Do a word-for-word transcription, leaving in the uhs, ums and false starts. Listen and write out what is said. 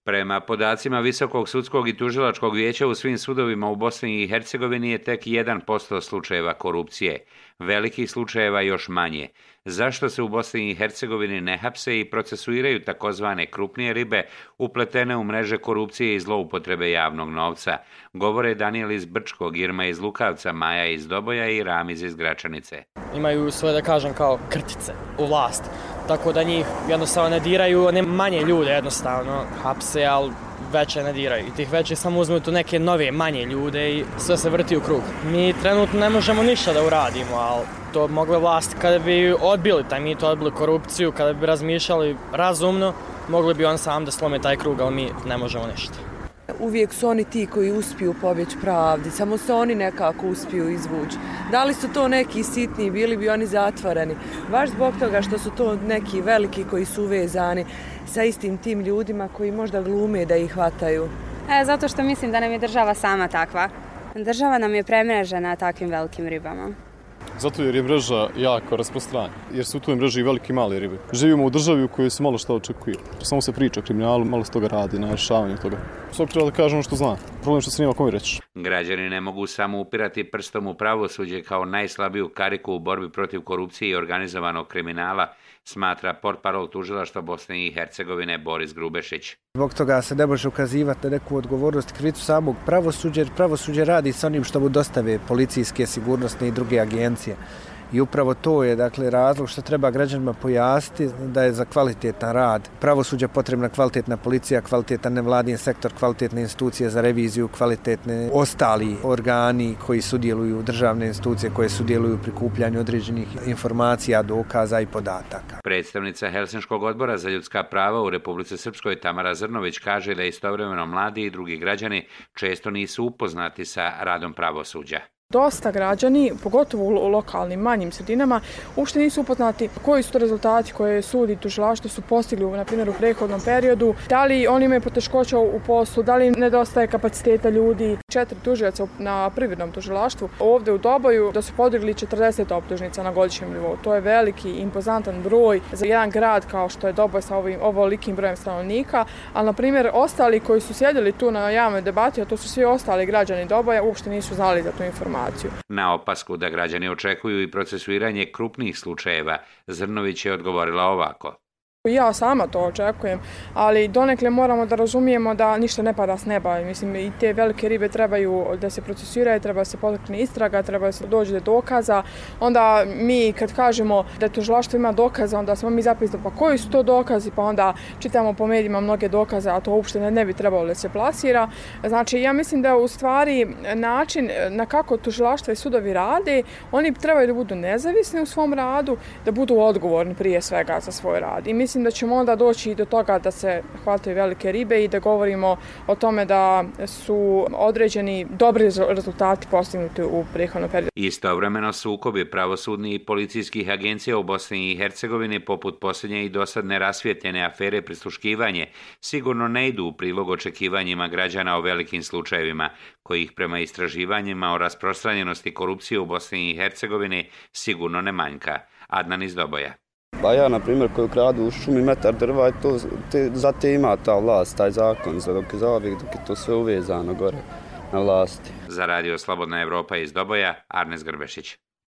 Prema podacima Visokog sudskog i tužilačkog vijeća u svim sudovima u Bosni i Hercegovini je tek jedan posto slučajeva korupcije, velikih slučajeva još manje. Zašto se u Bosni i Hercegovini ne hapse i procesuiraju takozvane krupnije ribe upletene u mreže korupcije i zloupotrebe javnog novca, govore Danijel iz Brčkog, Irma iz Lukavca, Maja iz Doboja i Ramiz iz Gračanice. Imaju svoje, da kažem, kao krtice u vlast, tako da njih jednostavno ne diraju, ne manje ljude jednostavno hapse, ali veće ne diraju. I tih veće samo uzmu tu neke nove, manje ljude i sve se vrti u krug. Mi trenutno ne možemo ništa da uradimo, ali to mogle vlasti kada bi odbili taj mit, odbili korupciju, kada bi razmišljali razumno, mogli bi on sam da slome taj krug, ali mi ne možemo ništa. Uvijek su oni ti koji uspiju pobjeći pravdi, samo se oni nekako uspiju izvući. Da li su to neki sitni, bili bi oni zatvoreni, baš zbog toga što su to neki veliki koji su uvezani sa istim tim ljudima koji možda glume da ih hvataju. E, zato što mislim da nam je država sama takva. Država nam je premrežena takvim velikim ribama. Zato jer je mreža jako rasprostranjena, jer su u toj mreži i velike i male ribe. Živimo u državi u kojoj se malo što očekuje. Samo se priča o kriminalu, malo se toga radi na rješavanju toga. Svog treba da kaže ono što zna. Problem što se nema kome reći. Građani ne mogu samo upirati prstom u pravosuđe kao najslabiju kariku u borbi protiv korupcije i organizovanog kriminala, smatra portparol tužilaštva Bosne i Hercegovine Boris Grubešić. Zbog toga se ne može ukazivati na neku odgovornost i krivicu samog pravosuđa, jer pravosuđe radi sa onim što mu dostave policijske, sigurnosne i druge agencije. I upravo to je, dakle, razlog što treba građanima pojasniti da je za kvalitetan rad pravosuđa potrebna kvalitetna policija, kvalitetan nevladin sektor, kvalitetne institucije za reviziju, kvalitetne ostali organi koji sudjeluju, državne institucije koje sudjeluju u prikupljanju određenih informacija, dokaza i podataka. Predstavnica Helsinškog odbora za ljudska prava u Republici Srpskoj Tamara Zrnović kaže da istovremeno mladi i drugi građani često nisu upoznati sa radom pravosuđa. Dosta građani, pogotovo u lokalnim manjim sredinama, uopšte nisu upoznati koji su to rezultati koje sud i tužilaštvo su postigli, na primjer, u prethodnom periodu, da li oni imaju poteškoća u poslu, da li nedostaje kapaciteta ljudi. Četiri tužioca na privrednom tužilaštvu ovdje u Doboju da su podigli četrdeset optužnica na godišnjem nivou. To je veliki, impozantan broj za jedan grad kao što je Doboj sa ovim ovolikim brojem stanovnika, ali, na primjer, ostali koji su sjedili tu na javnoj debati, a to su svi ostali građani Doboja, uopšte nisu znali za tu informaciju. Na opasku da građani očekuju i procesuiranje krupnih slučajeva, Zrnović je odgovorila ovako. Ja sama to očekujem, ali donekle moramo da razumijemo da ništa ne pada s neba. Mislim, i te velike ribe trebaju da se procesuiraju, treba da se potakne istraga, treba da se dođe do dokaza. Onda mi kad kažemo da tužilaštvo ima dokaza, onda smo mi zapisali pa koji su to dokazi, pa onda čitamo po medijima mnoge dokaze, a to uopšte ne, ne bi trebalo da se plasira. Znači, ja mislim da u stvari način na kako tužilaštva i sudovi rade, oni trebaju da budu nezavisni u svom radu, da budu odgovorni prije svega za svoj rad. I mislim da ćemo onda doći i do toga da se hvataju velike ribe i da govorimo o tome da su određeni dobri rezultati postignuti u prethodnom periodu. Istovremeno sukobi pravosudnih i policijskih agencija u Bosni i Hercegovini poput posljednje i dosad nerasvijetljene afere prisluškivanje sigurno ne idu u prilog očekivanjima građana o velikim slučajevima, kojih prema istraživanjima o rasprostranjenosti korupcije u Bosni i Hercegovini sigurno ne manjka. Adnan iz Doboja. Pa ja, na primjer, koji kradu u šumi metar drva, to, te, za te ima ta vlast, taj zakon, za dok je zauvijek, dok je to sve uvezano gore na vlasti. Za radio Slobodna Evropa iz Doboja, Arnes Grbešić.